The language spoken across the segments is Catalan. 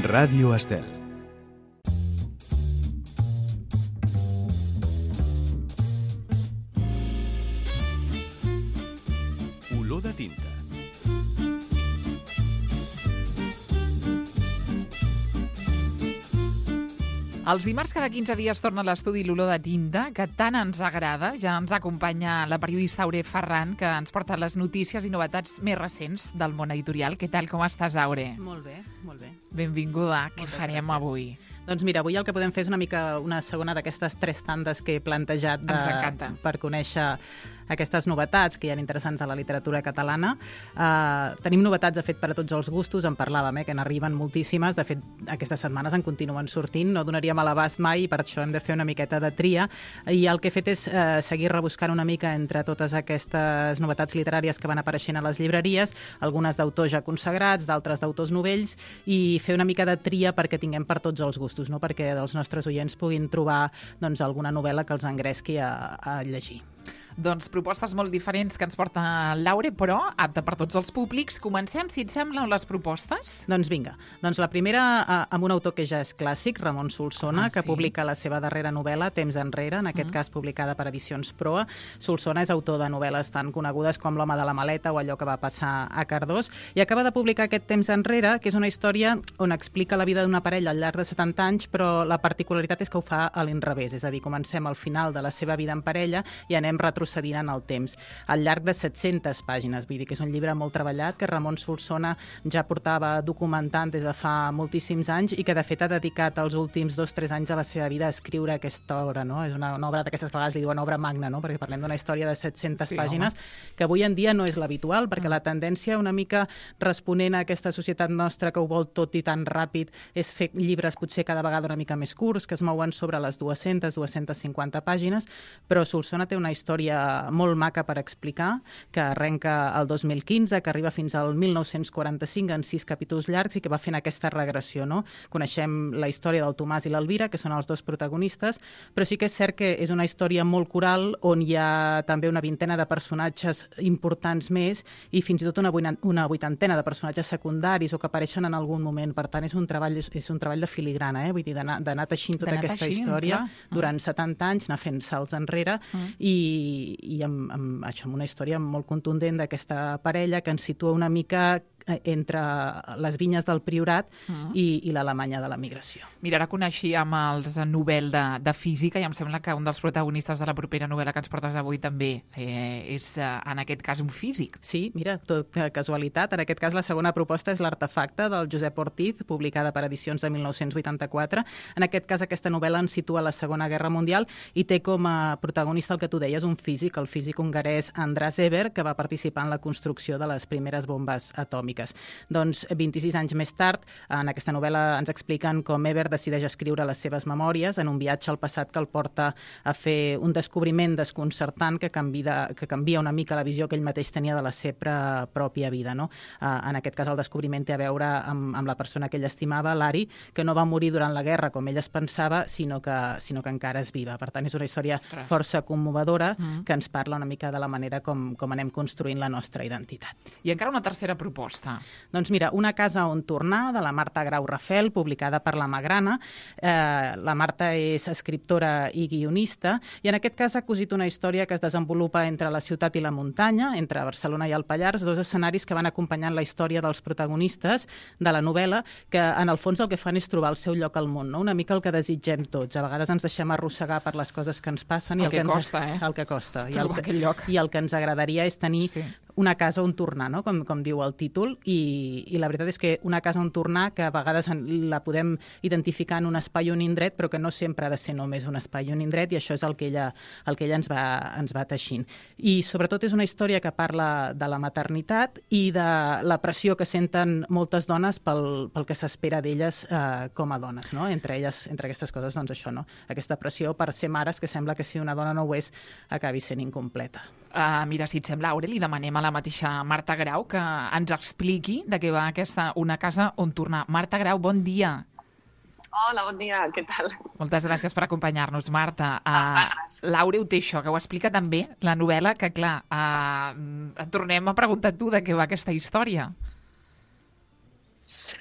Ràdio Estel. Olor de tinta. Els dimarts cada 15 dies torna a l'estudi l'olor de tinta, que tant ens agrada. Ja ens acompanya la periodista Aure Ferran, que ens porta les notícies i novetats més recents del món editorial. Què tal, com estàs, Aure? Molt bé, molt bé. Benvinguda. Què Moltes farem gràcies. avui? Doncs mira, avui el que podem fer és una mica una segona d'aquestes 3 tandes que he plantejat Ens encanta. per conèixer aquestes novetats que hi ha interessants a la literatura catalana. Tenim novetats, de fet, per a tots els gustos, en parlàvem, que n'arriben moltíssimes. De fet, aquestes setmanes en continuen sortint, no donaríem a l'abast mai i per això hem de fer una miqueta de tria. I el que he fet és seguir rebuscant una mica entre totes aquestes novetats literàries que van apareixent a les llibreries, algunes d'autors ja consagrats, d'altres d'autors novells, i fer una mica de tria perquè tinguem per tots els gustos, no? Perquè els nostres oients puguin trobar doncs, alguna novel·la que els engresqui a llegir. Doncs propostes molt diferents que ens porta l'Aure, però apta per tots els públics. Comencem, si et sembla, amb les propostes. Doncs vinga. Doncs la primera amb un autor que ja és clàssic, Ramon Solsona, que sí. publica la seva darrera novel·la, Temps enrere, en aquest cas publicada per Edicions Proa. Solsona és autor de novel·les tan conegudes com L'home de la maleta o Allò que va passar a Cardós, i acaba de publicar aquest Temps enrere, que és una història on explica la vida d'una parella al llarg de 70 anys, però la particularitat és que ho fa a l'inrevés, és a dir, comencem al final de la seva vida en parella i anem retrocedint en el temps, al llarg de 700 pàgines. Vull dir que és un llibre molt treballat, que Ramon Solsona ja portava documentant des de fa moltíssims anys i que, de fet, ha dedicat els últims 2-3 anys de la seva vida a escriure aquesta obra, no? És una obra d'aquestes vegades li diuen obra magna, no? Perquè parlem d'una història de 700 pàgines, que avui en dia no és l'habitual, perquè la tendència, una mica responent a aquesta societat nostra que ho vol tot i tan ràpid, és fer llibres potser cada vegada una mica més curts, que es mouen sobre les 200-250 pàgines, però Solsona té una història molt maca per explicar, que arrenca el 2015, que arriba fins al 1945 en 6 capítols llargs i que va fent aquesta regressió, no? Coneixem la història del Tomàs i l'Elvira, que són els dos protagonistes, però sí que és cert que és una història molt coral on hi ha també una vintena de personatges importants més i fins i tot una vuitantena de personatges secundaris o que apareixen en algun moment. Per tant, és un treball de filigrana, vull dir, d'anar teixint tota aquesta història durant 70 anys, anar fent salts enrere i amb això, amb una història molt contundent d'aquesta parella que ens situa una mica entre les vinyes del Priorat i l'Alemanya de la migració. Mira, ara coneixíem els Nobel de física i em sembla que un dels protagonistes de la propera novel·la que ens portes avui també és, en aquest cas, un físic. Sí, mira, tot casualitat. En aquest cas, la segona proposta és L'Artefacte, del Josep Ortiz, publicada per Edicions de 1984. En aquest cas, aquesta novel·la ens situa a la Segona Guerra Mundial i té com a protagonista el que tu deies, un físic, el físic hongarès András Eber, que va participar en la construcció de les primeres bombes atòmiques. Doncs 26 anys més tard, en aquesta novel·la ens expliquen com Eber decideix escriure les seves memòries en un viatge al passat que el porta a fer un descobriment desconcertant que canvia una mica la visió que ell mateix tenia de la seva pròpia vida, no? En aquest cas el descobriment té a veure amb la persona que ell estimava, l'Ari, que no va morir durant la guerra com ell es pensava, sinó que encara és viva. Per tant, és una història força commovedora que ens parla una mica de la manera com anem construint la nostra identitat. I encara una tercera proposta. Doncs mira, Una casa on tornar, de la Marta Grau Rafel, publicada per la Magrana. La Marta és escriptora i guionista, i en aquest cas ha cosit una història que es desenvolupa entre la ciutat i la muntanya, entre Barcelona i el Pallars, 2 escenaris que van acompanyant la història dels protagonistes de la novel·la, que en el fons el que fan és trobar el seu lloc al món, no? Una mica el que desitgem tots. A vegades ens deixem arrossegar per les coses que ens passen i el que costa. I el que ens agradaria és tenir una casa on tornar, no? Com diu el títol, i la veritat és que una casa on tornar, que a vegades la podem identificar en un espai o un indret, però que no sempre ha de ser només un espai o un indret, i això és el que ella ens va teixint. I sobretot és una història que parla de la maternitat i de la pressió que senten moltes dones pel que s'espera d'elles com a dones, no? Entre aquestes coses, doncs això, no? Aquesta pressió per ser mares, que sembla que si una dona no ho és, acabi sent incompleta. Mira, si et sembla, Aure, li demanem a la mateixa Marta Grau que ens expliqui de què va aquesta Una casa on tornar. Marta Grau, bon dia. Hola, bon dia, què tal? Moltes gràcies per acompanyar-nos, Marta. Gràcies. L'Aure ho té això, que ho explica també la novel·la, que clar, et tornem a preguntar tu de què va aquesta història.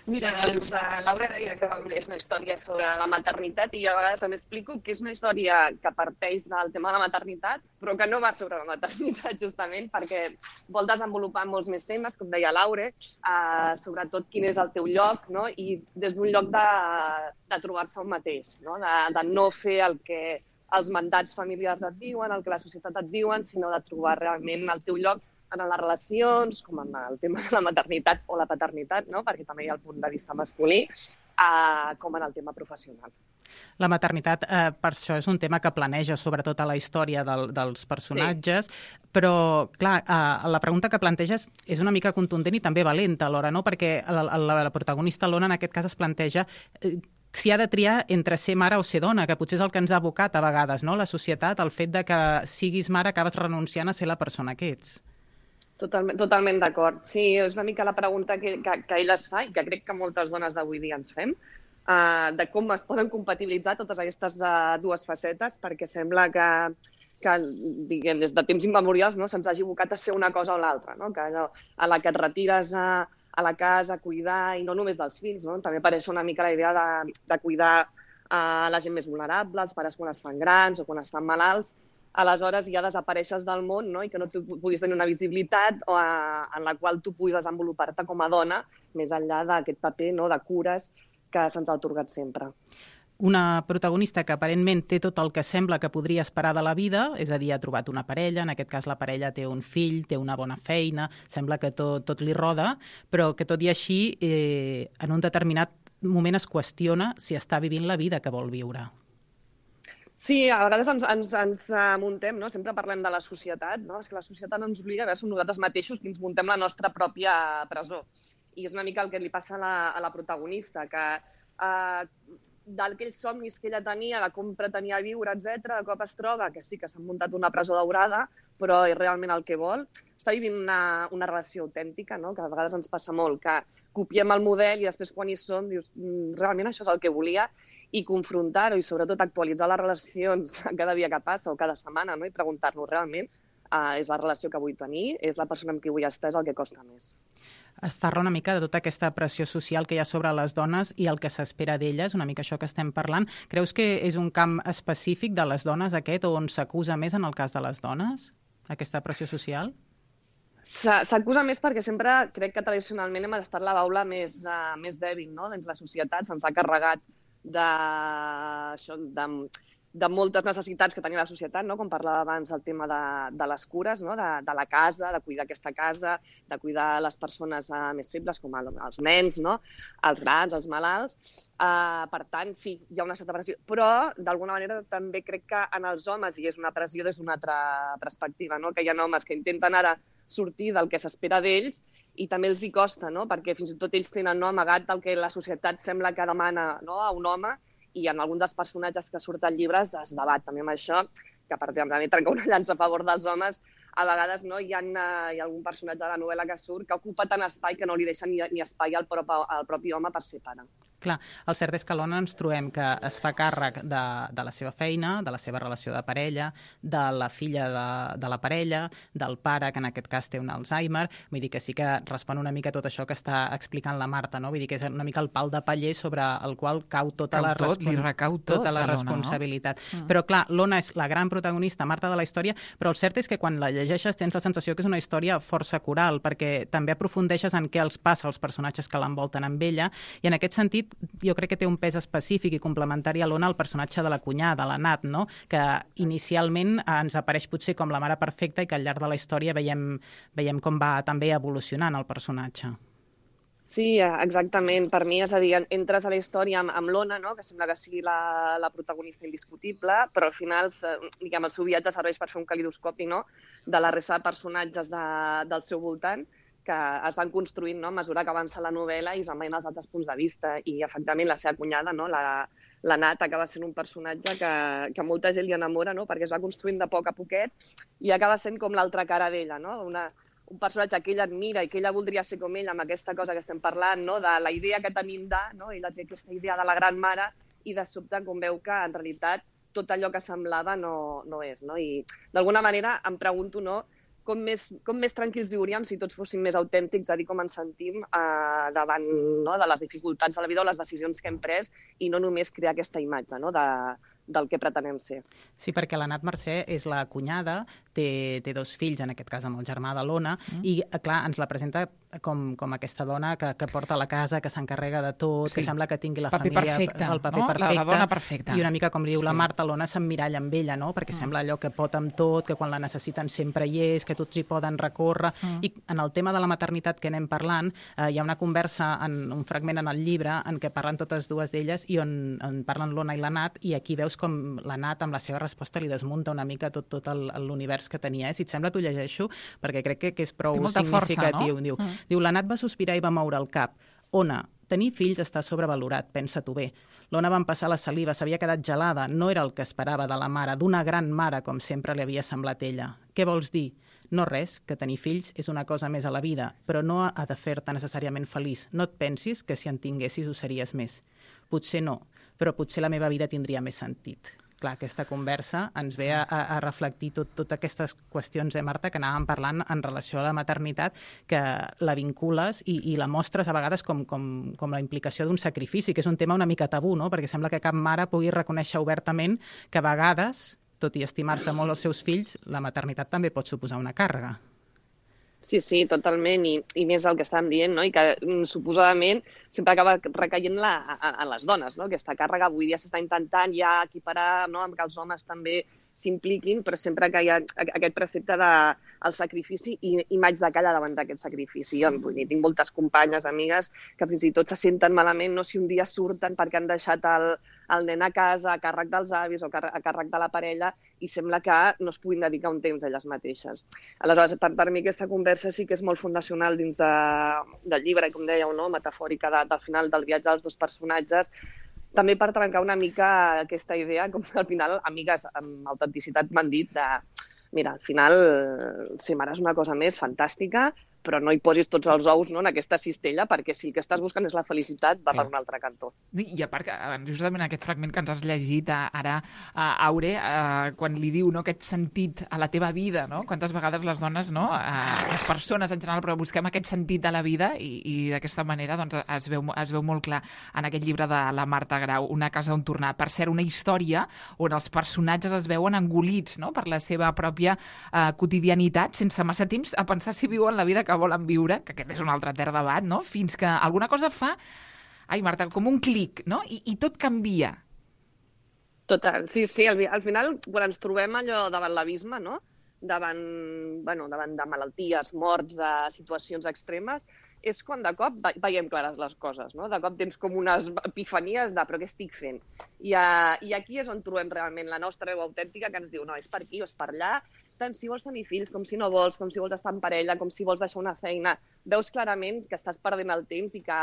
Mira, doncs, Laura deia que és una història sobre la maternitat i jo a vegades també explico que és una història que parteix del tema de la maternitat, però que no va sobre la maternitat, justament, perquè vol desenvolupar molts més temes, com deia Laura, sobretot quin és el teu lloc, no? I des d'un lloc de trobar-se un mateix, no? De no fer el que els mandats familiars et diuen, el que la societat et diuen, sinó de trobar realment el teu lloc en les relacions, com en el tema de la maternitat o la paternitat, no? Perquè també hi ha el punt de vista masculí, com en el tema professional. La maternitat, per això, és un tema que planeja sobretot a la història dels personatges, sí. Però, clar, la pregunta que planteges és una mica contundent i també valenta alhora, no? Perquè la protagonista, l'Ona, en aquest cas es planteja si ha de triar entre ser mare o ser dona, que potser és el que ens ha abocat a vegades, no? La societat, el fet de que siguis mare acabes renunciant a ser la persona que ets. Totalment d'acord. Sí, és una mica la pregunta que ell es fa i que crec que moltes dones d'avui dia ens fem, de com es poden compatibilitzar totes aquestes dues facetes, perquè sembla que diguem, des de temps immemorials, no, se'ns hagi abocat a ser una cosa o l'altra, no? Que allò, a la que et retires a la casa a cuidar, i no només dels fills, no? També apareix una mica la idea de cuidar la gent més vulnerable, els pares quan es fan grans o quan estan malalts. Aleshores ja desapareixes del món, no? I que no tu puguis tenir una visibilitat en la qual tu puguis desenvolupar-te com a dona, més enllà d'aquest paper, no? De cures que se'ns ha atorgat sempre. Una protagonista que aparentment té tot el que sembla que podria esperar de la vida, és a dir, ha trobat una parella, en aquest cas la parella té un fill, té una bona feina, sembla que tot li roda, però que tot i així en un determinat moment es qüestiona si està vivint la vida que vol viure. Sí, a vegades ens muntem, no? Sempre parlem de la societat, no? És que la societat ens obliga a veure, som nosaltres mateixos qui ens muntem la nostra pròpia presó. I és una mica el que li passa a la protagonista, que d'aquells somnis que ella tenia, de com pretenia viure, etc, de cop es troba que sí que s'ha muntat una presó daurada, però és realment el que vol. Està vivint una relació autèntica, no? Que a vegades ens passa molt, que copiem el model i després quan hi som dius, realment això és el que volia, i confrontar-ho i sobretot actualitzar les relacions cada dia que passa o cada setmana, no? I preguntar-nos realment és la relació que vull tenir, és la persona amb qui vull estar, és el que costa més. Es parla una mica de tota aquesta pressió social que hi ha sobre les dones i el que s'espera d'elles, una mica això que estem parlant. Creus que és un camp específic de les dones aquest, on s'acusa més en el cas de les dones, aquesta pressió social? S'acusa més perquè sempre crec que tradicionalment hem estat la baula més dèbil, no? Dins la societat se'ns ha carregat de moltes necessitats que tenia la societat, no? Com parlava abans del tema de les cures, no? De la casa, de cuidar aquesta casa, de cuidar les persones més febles, com els nens, no? Els grans, els malalts. Per tant, sí, hi ha una certa pressió. Però, d'alguna manera, també crec que en els homes hi és una pressió des d'una altra perspectiva, no? Que hi ha homes que intenten ara sortir del que s'espera d'ells i també els hi costa, no? Perquè fins i tot ells tenen amagat el que la societat sembla que demana, no? A un home, i en algun dels personatges que surt al llibre es debat també amb això, que a part de trencar una llança a favor dels homes, a vegades no, hi ha algun personatge de la novel·la que surt que ocupa tant espai que no li deixa ni espai al propi home per ser pare. Clar, el cert és que a l'Ona ens trobem que es fa càrrec de la seva feina, de la seva relació de parella, de la filla de la parella, del pare, que en aquest cas té un Alzheimer. Vull dir que sí que respon una mica tot això que està explicant la Marta, no? Vull dir que és una mica el pal de paller sobre el qual cau tota la responsabilitat. Però clar, l'Ona és la gran protagonista, Marta, de la història, però el cert és que quan la llegeixes tens la sensació que és una història força coral, perquè també aprofundeixes en què els passa als personatges que l'envolten amb ella, i en aquest sentit jo crec que té un pes específic i complementari a l'Ona el personatge de la cunyada, la Nat, no? Que inicialment ens apareix potser com la mare perfecta i que al llarg de la història veiem com va també evolucionant el personatge. Sí, exactament. Per mi, és a dir, entres a la història amb l'Ona, no? Que sembla que sigui la protagonista indiscutible, però al final el seu viatge serveix per fer un calidoscopi, no? De la resta de personatges del seu voltant, que es van construint, no? A mesura que avança la novel·la i es van veient els altres punts de vista. I, efectivament, la seva cunyada, no? La Nat, acaba sent un personatge que molta gent li enamora, no? Perquè es va construint de poc a poquet i acaba sent com l'altra cara d'ella, no? Un personatge que ella admira i que ella voldria ser com ella amb aquesta cosa que estem parlant, no? De la idea que tenim no? Ella té aquesta idea de la gran mare i de sobte com veu que en realitat tot allò que semblava no és, no? I d'alguna manera em pregunto, no? com més tranquils viuríem si tots fóssim més autèntics a dir com ens sentim davant, no, de les dificultats de la vida o les decisions que hem pres i no només crear aquesta imatge, no, del que pretenem ser. Sí, perquè la Nat Mercè és la cunyada, té 2 fills, en aquest cas amb el germà de l'Ona, i clar, ens la presenta com aquesta dona que porta la casa, que s'encarrega de tot, que sembla que tingui la família... Perfecte, el paper no? perfecte. La dona perfecta. I una mica, com li diu la Marta, l'Ona s'emmiralla amb ella, no? Perquè sembla allò que pot amb tot, que quan la necessiten sempre hi és, que tots hi poden recórrer. I en el tema de la maternitat que anem parlant, hi ha una conversa, un fragment en el llibre, en què parlen totes dues d'elles i on parlen l'Ona i la Nat, i aquí veus com la Nat, amb la seva resposta, li desmunta una mica tot l'univers que tenia. Si et sembla, t'ho llegeixo, perquè crec que és prou significatiu. Força, no? Diu, la Nat va sospirar i va moure el cap. Ona, tenir fills està sobrevalorat, pensa-t'ho bé. L'Ona va empassar la saliva, s'havia quedat gelada, no era el que esperava de la mare, d'una gran mare, com sempre li havia semblat ella. Què vols dir? No res, que tenir fills és una cosa més a la vida, però no ha de fer-te necessàriament feliç. No et pensis que si en tinguessis ho series més. Potser no, però potser la meva vida tindria més sentit. Clar, aquesta conversa ens ve a reflectir totes aquestes qüestions, Marta, que anàvem parlant en relació a la maternitat, que la vincules i la mostres a vegades com la implicació d'un sacrifici, que és un tema una mica tabú, no? Perquè sembla que cap mare pugui reconèixer obertament que a vegades, tot i estimar-se molt els seus fills, la maternitat també pot suposar una càrrega. Sí, totalment, i més el que estàvem dient, no? I que suposadament sempre acaba recaient a les dones, no? Aquesta càrrega avui dia s'està intentant ja equiparar, no? Amb que els homes també s'impliquin, però sempre que hi ha aquest precepte del sacrifici i m'haig de callar davant d'aquest sacrifici. Jo tinc moltes companyes, amigues, que fins i tot se senten malament, no, si un dia surten perquè han deixat el nen a casa a càrrec dels avis o a càrrec de la parella i sembla que no es puguin dedicar un temps a elles mateixes. Aleshores, per mi aquesta conversa sí que és molt fundacional dins del llibre, com dèieu, no? Metafòrica del final del viatge dels 2 personatges, també per trencar una mica aquesta idea, com al final amigues amb autenticitat m'han dit mira, al final ser mare és una cosa més fantàstica, però no hi posis tots els ous, no, en aquesta cistella, perquè si el que estàs buscant és la felicitat, va per un altre cantó. I a part, justament aquest fragment que ens has llegit ara, Aure, quan li diu, no, aquest sentit a la teva vida, no? Quantes vegades les dones, no, les persones en general, però busquem aquest sentit de la vida i d'aquesta manera doncs, es veu molt clar en aquest llibre de la Marta Grau, Una casa on tornar. Per cert, una història on els personatges es veuen engolits, no, per la seva pròpia quotidianitat, sense massa temps a pensar si viuen la vida que volen viure, que aquest és un altre etern debat, no? Fins que alguna cosa fa, Marta, com un clic, no? I tot canvia. Total, sí, al final, quan ens trobem allò davant l'abisme, no? Davant de malalties, morts, situacions extremes, és quan de cop veiem clares les coses, no? De cop tens com unes epifanies de però què estic fent? I aquí és on trobem realment la nostra veu autèntica que ens diu no, és per aquí o és per allà, tant si vols tenir fills com si no vols, com si vols estar en parella, com si vols deixar una feina. Veus clarament que estàs perdent el temps i que,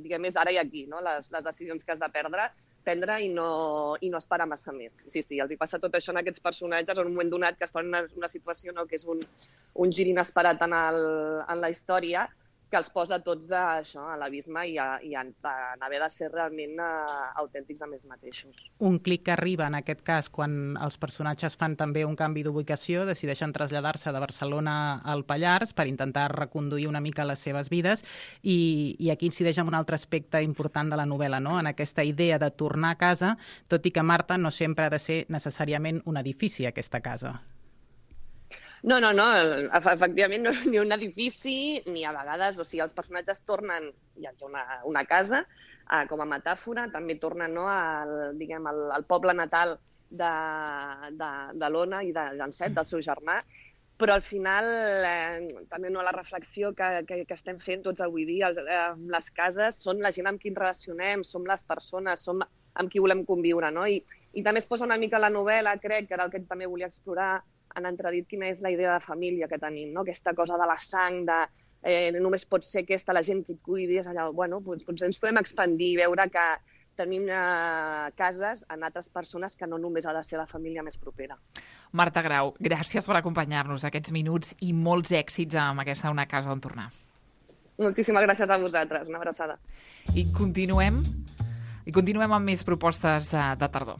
diguem, és ara i aquí, no? Les decisions que has de prendre i no esperar massa més. Sí, els hi passa tot això en aquests personatges en un moment donat que estan en una situació, no, que és un gir inesperat en la història, que els posa tots a l'abisme i a haver de ser realment autèntics amb ells mateixos. Un clic que arriba, en aquest cas, quan els personatges fan també un canvi d'ubicació, decideixen traslladar-se de Barcelona al Pallars per intentar reconduir una mica les seves vides i aquí incideix en un altre aspecte important de la novel·la, no? En aquesta idea de tornar a casa, tot i que, Marta, no sempre ha de ser necessàriament un edifici, aquesta casa. No, efectivament no ni un edifici, ni a vegades, o sigui, els personatges tornen, hi ha una casa, com a metàfora, també tornen al poble natal de l'Ona i d'en Set, del seu germà, però al final també la reflexió que estem fent tots avui dia, les cases són la gent amb qui ens relacionem, som les persones, som amb qui volem conviure, no? I també es posa una mica la novel·la, crec, que era el que també volia explorar, en entredit quina és la idea de família que tenim, no? Aquesta cosa de la sang, només pot ser aquesta, la gent que et cuidi, és allà, doncs potser ens podem expandir i veure que tenim cases en altres persones que no només ha de ser la família més propera. Marta Grau, gràcies per acompanyar-nos aquests minuts i molts èxits amb aquesta Una casa on tornar. Moltíssimes gràcies a vosaltres, una abraçada. I continuem amb més propostes de tardor.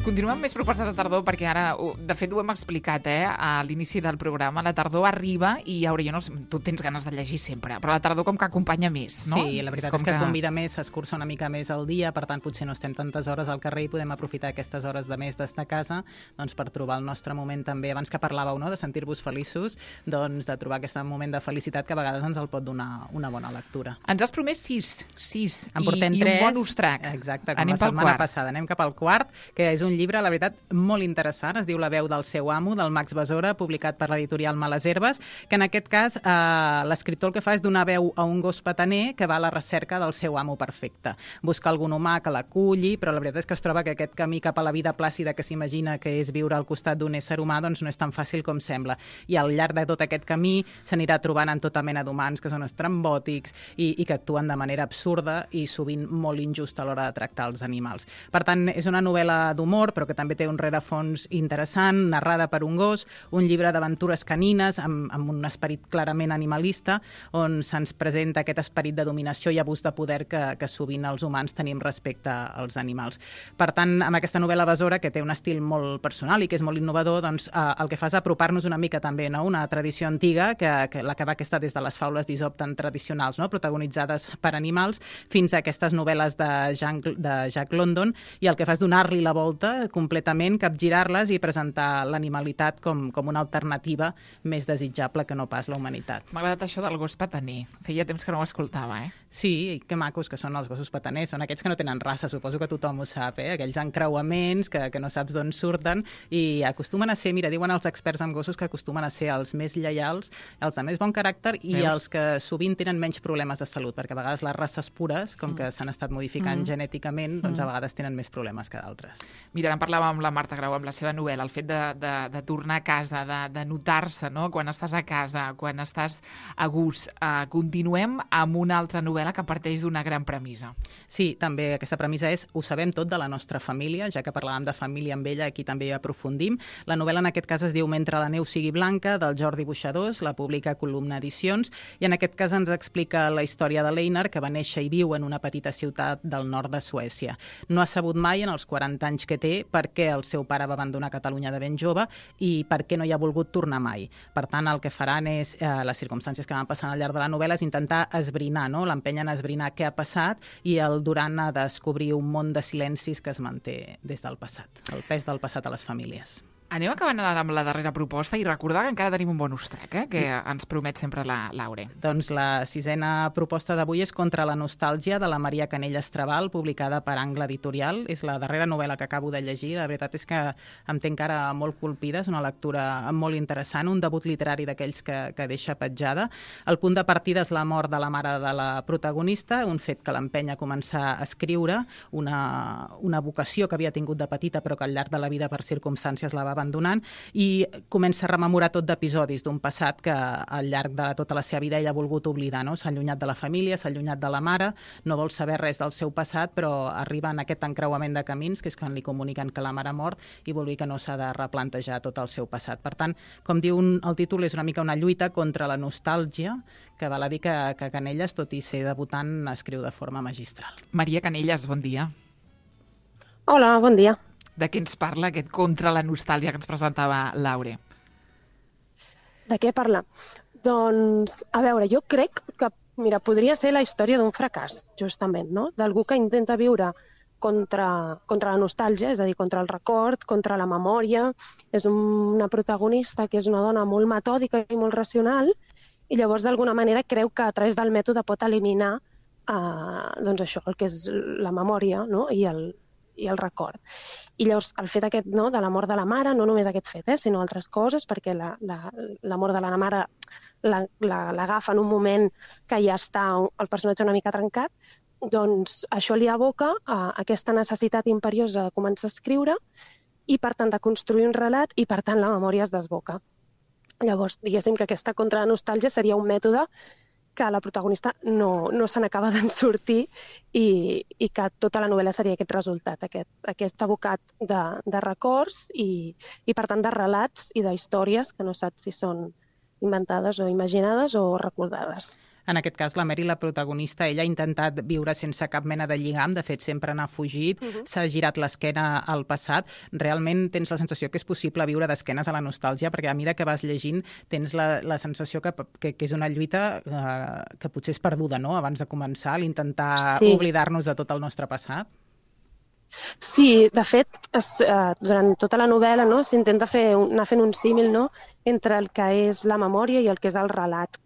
Continuem amb més propostes de tardor, perquè ara, de fet, ho hem explicat, a l'inici del programa. La tardor arriba i, Aure, jo no sé, tu tens ganes de llegir sempre, però la tardor com que acompanya més, no? Sí, la veritat és que convida més, s'escurça una mica més al dia, per tant, potser no estem tantes hores al carrer i podem aprofitar aquestes hores de més d'estar a casa doncs, per trobar el nostre moment també. Abans que parlàveu, no?, de sentir-vos feliços, doncs de trobar aquest moment de felicitat que a vegades ens el pot donar una bona lectura. Ens has promès 6 en portem 3, i un bonus track. Exacte, com la setmana passada. Anem cap al quart, que és un llibre, la veritat, molt interessant. Es diu La veu del seu amo, del Max Besora, publicat per l'editorial Males Herbes, que en aquest cas l'escriptor el que fa és donar veu a un gos petaner que va a la recerca del seu amo perfecte. Busca algun humà que l'aculli, però la veritat és que es troba que aquest camí cap a la vida plàcida que s'imagina que és viure al costat d'un ésser humà doncs no és tan fàcil com sembla. I al llarg de tot aquest camí s'anirà trobant en tota mena d'humans que són estrambòtics i que actuen de manera absurda i sovint molt injusta a l'hora de tractar els animals. Per tant, és una novel·la d'humor, però que també té un rerefons interessant, narrada per un gos, un llibre d'aventures canines amb un esperit clarament animalista, on se'ns presenta aquest esperit de dominació i abús de poder que sovint els humans tenim respecte als animals. Per tant, amb aquesta novel·la Besora, que té un estil molt personal i que és molt innovador, doncs el que fa és apropar-nos una mica també, no?, una tradició antiga, que la que va estar des de les faules d'Isop tan tradicionals, no?, protagonitzades per animals, fins a aquestes novel·les de Jack London, i el que fa és donar-li la volta completament, capgirar-les i presentar l'animalitat com una alternativa més desitjable que no pas la humanitat. M'ha agradat això del gos petaner. Feia temps que no ho escoltava, Sí, que macos que són els gossos petaners. Són aquests que no tenen raça, suposo que tothom ho sap, aquells encreuaments que no saps d'on surten i acostumen a ser, mira, diuen els experts en gossos que acostumen a ser els més lleials, els de més bon caràcter i els que sovint tenen menys problemes de salut, perquè a vegades les races pures, com que s'han estat modificant genèticament, doncs a vegades tenen més problemes que d'altres. Mira, ara en parlàvem amb la Marta Grau, amb la seva novel·la, el fet de tornar a casa, de notar-se, no?, quan estàs a casa, quan estàs a gust. Continuem amb una altra novel·la que parteix d'una gran premissa. Sí, també aquesta premissa és ho sabem tot de la nostra família, ja que parlàvem de família amb ella, aquí també hi aprofundim. La novel·la en aquest cas es diu Mentre la neu sigui blanca, del Jordi Boixadors, la publica Columna Edicions, i en aquest cas ens explica la història de l'Einar, que va néixer i viu en una petita ciutat del nord de Suècia. No ha sabut mai, en els 40 anys que té, per què el seu pare va abandonar Catalunya de ben jove i per què no hi ha volgut tornar mai. Per tant, el que faran és, les circumstàncies que van passant al llarg de la novel·la, és intentar esbrinar, no?, l'empenyen a esbrinar què ha passat i el Duran a descobrir un món de silencis que es manté des del passat, el pes del passat a les famílies. Anem acabant ara amb la darrera proposta i recordar que encara tenim un bonus track, que ens promet sempre l'Aure. Doncs la sisena proposta d'avui és Contra la nostàlgia, de la Maria Canellas Trabal, publicada per Angle Editorial. És la darrera novel·la que acabo de llegir. La veritat és que em té encara molt colpida, és una lectura molt interessant, un debut literari d'aquells que deixa petjada. El punt de partida és la mort de la mare de la protagonista, un fet que l'empenya a començar a escriure, una vocació que havia tingut de petita però que al llarg de la vida per circumstàncies la va abandonant, i comença a rememorar tot d'episodis d'un passat que al llarg de tota la seva vida ella ha volgut oblidar, no? S'ha allunyat de la família, s'ha allunyat de la mare, no vol saber res del seu passat, però arriba en aquest encreuament de camins, que és quan li comuniquen que la mare ha mort i vol dir que no s'ha de replantejar tot el seu passat. Per tant, com diu el títol, és una mica una lluita contra la nostàlgia, que val a dir que Canellas, tot i ser debutant, escriu de forma magistral. Maria Canellas, bon dia. Hola, bon dia. De què ens parla aquest Contra la nostàlgia que ens presentava l'Aure? De què parla? Doncs, a veure, jo crec que, mira, podria ser la història d'un fracàs, justament, no? D'algú que intenta viure contra la nostàlgia, és a dir, contra el record, contra la memòria. És una protagonista que és una dona molt metòdica i molt racional, i llavors, d'alguna manera, creu que a través del mètode pot eliminar doncs això, el que és la memòria, no?, i el record. I llavors el fet aquest, no, de la mort de la mare, no només aquest fet, sinó altres coses, perquè la mort de la mare l'agafa en un moment que ja està el personatge una mica trencat, doncs això li aboca a aquesta necessitat imperiosa de començar a escriure i, per tant, de construir un relat i, per tant, la memòria es desboca. Llavors, diguéssim que aquesta contra la nostàlgia seria un mètode que la protagonista no se n'acaba d'en sortir i que tota la novel·la seria aquest resultat, aquest abocat de records i, per tant, de relats i d'històries que no saps si són inventades o imaginades o recordades. En aquest cas, la Mary, la protagonista, ella ha intentat viure sense cap mena de lligam, de fet, sempre n'ha fugit, s'ha girat l'esquena al passat. Realment tens la sensació que és possible viure d'esquenes a la nostàlgia, perquè a mesura que vas llegint tens la sensació que és una lluita que potser és perduda, no?, abans de començar, l'intentar oblidar-nos de tot el nostre passat. Sí, de fet, durant tota la novel·la, no, s'intenta anar fent un símil, no, entre el que és la memòria i el que és el relat.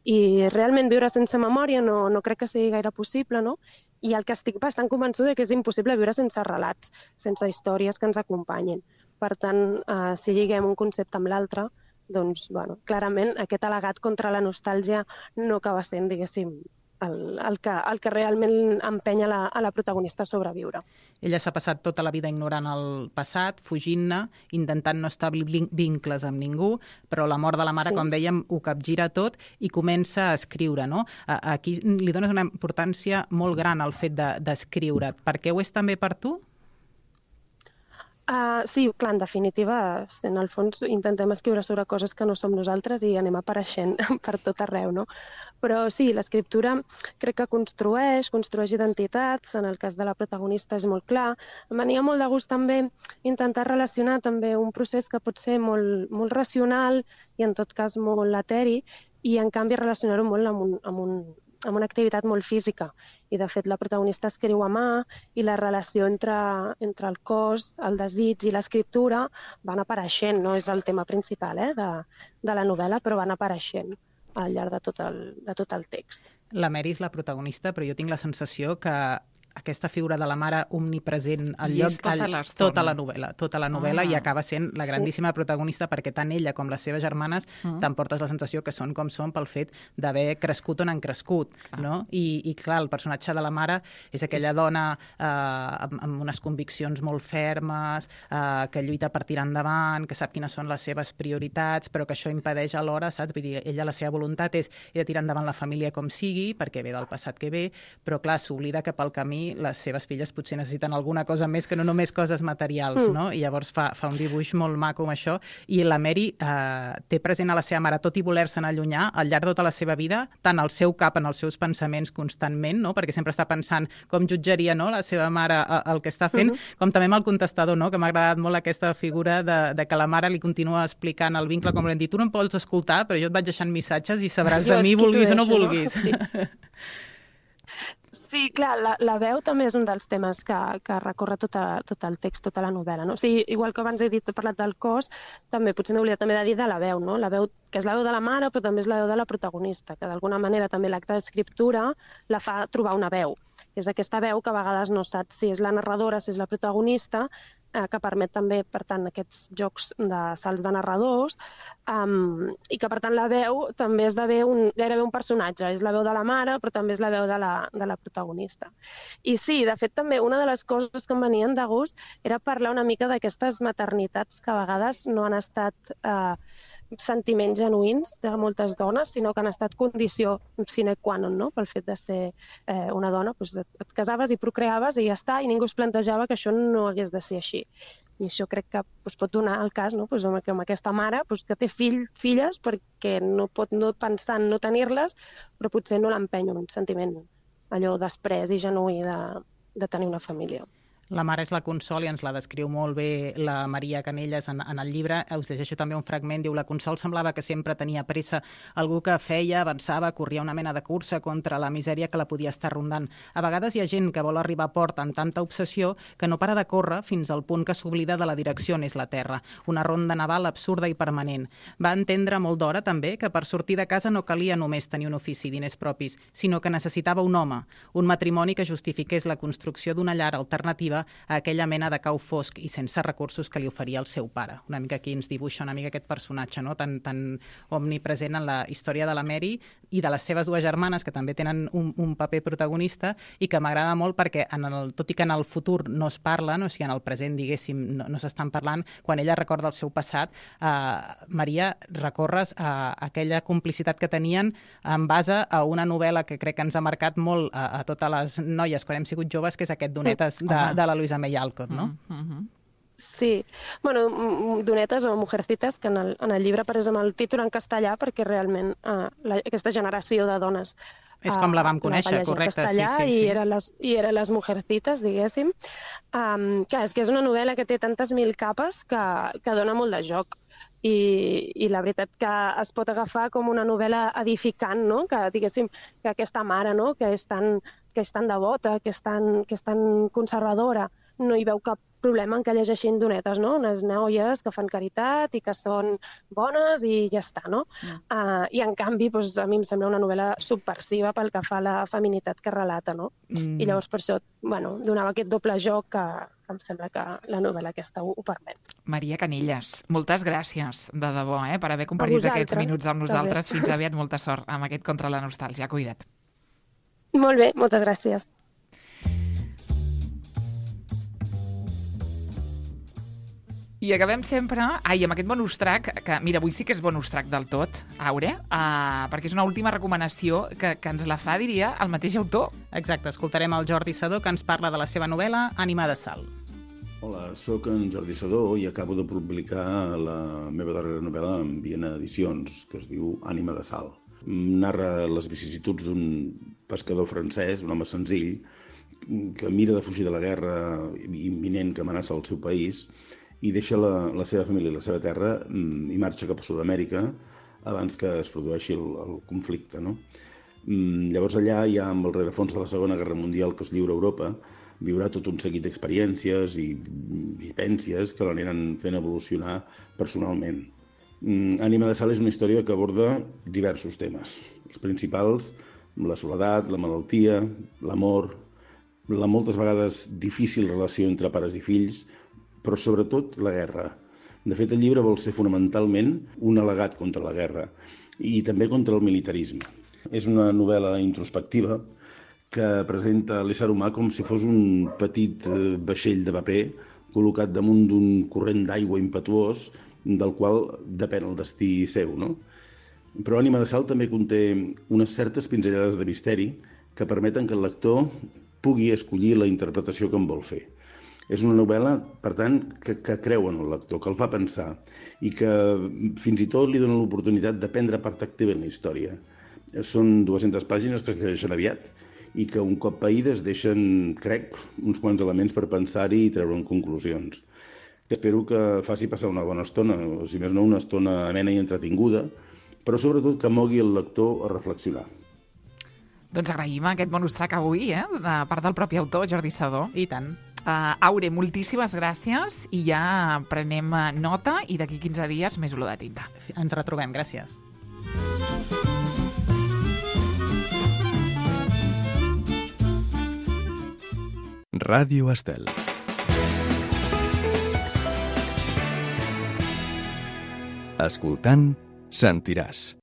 I realment viure sense memòria no crec que sigui gaire possible, no? I el que estic bastant convençuda que és impossible viure sense relats, sense històries que ens acompanyin. Per tant, si lliguem un concepte amb l'altre, doncs, bueno, clarament aquest al·legat contra la nostàlgia no acaba sent, diguéssim, el que realment empenya a la protagonista a sobreviure. Ella s'ha passat tota la vida ignorant el passat, fugint-ne, intentant no establir vincles amb ningú, però la mort de la mare, com dèiem, ho capgira tot i comença a escriure, no? Aquí li dones una importància molt gran al fet d'escriure. Per què ho és també per tu? Sí, clar, en definitiva, en el fons intentem escriure sobre coses que no som nosaltres i anem apareixent per tot arreu, no? Però sí, l'escriptura crec que construeix identitats, en el cas de la protagonista és molt clar. Em venia molt de gust també intentar relacionar també un procés que pot ser molt racional i en tot cas molt eteri i en canvi relacionar-ho molt amb una activitat molt física. I, de fet, la protagonista escriu a mà i la relació entre el cos, el desig i l'escriptura van apareixent. No és el tema principal de la novel·la, però van apareixent al llarg de tot el text. La Mary és la protagonista, però jo tinc la sensació que aquesta figura de la mare omnipresent al lloc tota la novel·la i acaba sent la grandíssima protagonista perquè tant ella com les seves germanes t'emportes la sensació que són com són pel fet d'haver crescut on han crescut, no? I clar, el personatge de la mare és aquella dona amb unes conviccions molt fermes, que lluita per tirar endavant, que sap quines són les seves prioritats, però que això impedeix alhora, saps? Vull dir, ella la seva voluntat és de tirar endavant la família com sigui, perquè ve del passat que ve, però clar, s'oblida que pel camí les seves filles potser necessiten alguna cosa més que no només coses materials, no? I llavors fa un dibuix molt maco amb això. I la Mary té present a la seva mare, tot i voler-se'n allunyar, al llarg de tota la seva vida, tant al seu cap, en els seus pensaments constantment, no? Perquè sempre està pensant com jutjaria, no?, la seva mare el que està fent, com també amb el contestador, no?, que m'ha agradat molt aquesta figura de que la mare li continua explicant el vincle, com l'hem dit, tu no em pots escoltar, però jo et vaig deixant missatges i sabràs de mi, vulguis o no vulguis. Sí, clar, la veu també és un dels temes que recorre tot el text, tota la novel·la, no? O sigui, igual que abans he parlat del cos, també potser m'he oblidat també de dir de la veu, no? La veu, que és la veu de la mare, però també és la veu de la protagonista, que d'alguna manera també l'acte d'escriptura la fa trobar una veu. És aquesta veu que a vegades no saps si és la narradora, si és la protagonista, que permet també, per tant, aquests jocs de salts de narradors i que, per tant, la veu també esdevé gairebé un personatge. És la veu de la mare, però també és la veu de la protagonista. I sí, de fet, també una de les coses que em venien de gust era parlar una mica d'aquestes maternitats que a vegades no han estat sentiments genuïns de moltes dones, sinó que han estat condició sine qua non, no? Pel fet de ser una dona, doncs et casaves i procreaves i ja està, i ningú es plantejava que això no hagués de ser així. I això crec que pot donar el cas, no? Amb aquesta mare que té filles perquè no pot no pensar en no tenir-les, però potser no l'empeny un sentiment allò després i genuí de tenir una família. La mare és la Consol i ens la descriu molt bé la Maria Canelles en el llibre. Us llegeixo també un fragment. Diu, la Consol semblava que sempre tenia pressa, algú que feia, avançava, corria una mena de cursa contra la misèria que la podia estar rondant. A vegades hi ha gent que vol arribar a port amb tanta obsessió que no para de córrer fins al punt que s'oblida de la direcció on és la Terra. Una ronda naval absurda i permanent. Va entendre molt d'hora també que per sortir de casa no calia només tenir un ofici i diners propis, sinó que necessitava un home, un matrimoni que justifiqués la construcció d'una llar alternativa a aquella mena de cau fosc i sense recursos que li oferia el seu pare. Una mica aquí ens dibuixa una mica aquest personatge, no? tan omnipresent en la història de la Mary i de les seves dues germanes, que també tenen un paper protagonista i que m'agrada molt perquè, tot i que en el futur no es parlen, o sigui, en el present, diguéssim, no s'estan parlant, quan ella recorda el seu passat, Maria, recorres a aquella complicitat que tenien en base a una novel·la que crec que ens ha marcat molt a totes les noies quan hem sigut joves, que és aquest Donetes de la Louisa May Alcott, no? Sí, bueno, Donetes o Mujercitas, que en el llibre apareix amb el títol en castellà perquè realment aquesta generació de dones És com la vam conèixer, va llegir correcte. en castellà Sí. i eren les Mujercitas, diguéssim. Clar, és que és una novel·la que té tantes mil capes que dona molt de joc. I la veritat que es pot agafar com una novel·la edificant, no? Que, diguéssim, que aquesta mare, no? que és tan devota, que és tan conservadora, no hi veu cap problema en que llegeixin Donetes, no? Unes noies que fan caritat i que són bones i ja està, no? I en canvi, doncs, a mi em sembla una novel·la subversiva pel que fa a la feminitat que relata, no? I llavors per això, bueno, donava aquest doble joc que em sembla que la novel·la aquesta ho permet. Maria Canillas, moltes gràcies, de debò, per haver compartit aquests minuts amb nosaltres. Fins aviat, molta sort amb aquest Contra la Nostàlgia. Cuida't. Molt bé, moltes gràcies. I acabem sempre amb aquest bonus track, que mira, avui sí que és bonus track del tot, Aure, perquè és una última recomanació que ens la fa, diria, el mateix autor. Exacte, escoltarem el Jordi Sadó, que ens parla de la seva novel·la Ànima de Sal. Hola, sóc en Jordi Sadó i acabo de publicar la meva darrera novel·la en Viena Edicions, que es diu Ànima de Sal. Narra les vicissituds d'un pescador francès, un home senzill, que mira de fugir de la guerra imminent que amenaça el seu país i deixa la seva família i la seva terra i marxa cap a Sud-amèrica abans que es produeixi el conflicte, no? Llavors allà, ja amb el rerefons de la Segona Guerra Mundial que es lliura a Europa, viurà tot un seguit d'experiències i vivències que l'aniran fent evolucionar personalment. Ànima de Sal és una història que aborda diversos temes. Els principals, la soledat, la malaltia, l'amor, la moltes vegades difícil relació entre pares i fills, però sobretot la guerra. De fet, el llibre vol ser fonamentalment un al·legat contra la guerra i també contra el militarisme. És una novel·la introspectiva que presenta l'ésser humà com si fos un petit vaixell de paper col·locat damunt d'un corrent d'aigua impetuós del qual depèn el destí seu, no? Però Ànima de Sal també conté unes certes pinzellades de misteri que permeten que el lector pugui escollir la interpretació que en vol fer. És una novel·la, per tant, que creu en el lector, que el fa pensar i que fins i tot li dona l'oportunitat de prendre part activa en la història. Són 200 pàgines que es llegeixen aviat i que un cop païdes deixen, crec, uns quants elements per pensar-hi i treure'n conclusions. Espero que faci passar una bona estona, o si més no, una estona amena i entretinguda, però sobretot que mogui el lector a reflexionar. Doncs agraïm aquest bonus track avui, de part del propi autor, Jordi Sadó. I tant. Aure, moltíssimes gràcies i ja prenem nota i d'aquí 15 dies més olor de tinta. Ens retrobem, gràcies. Ràdio Estel. Escoltant, sentiràs.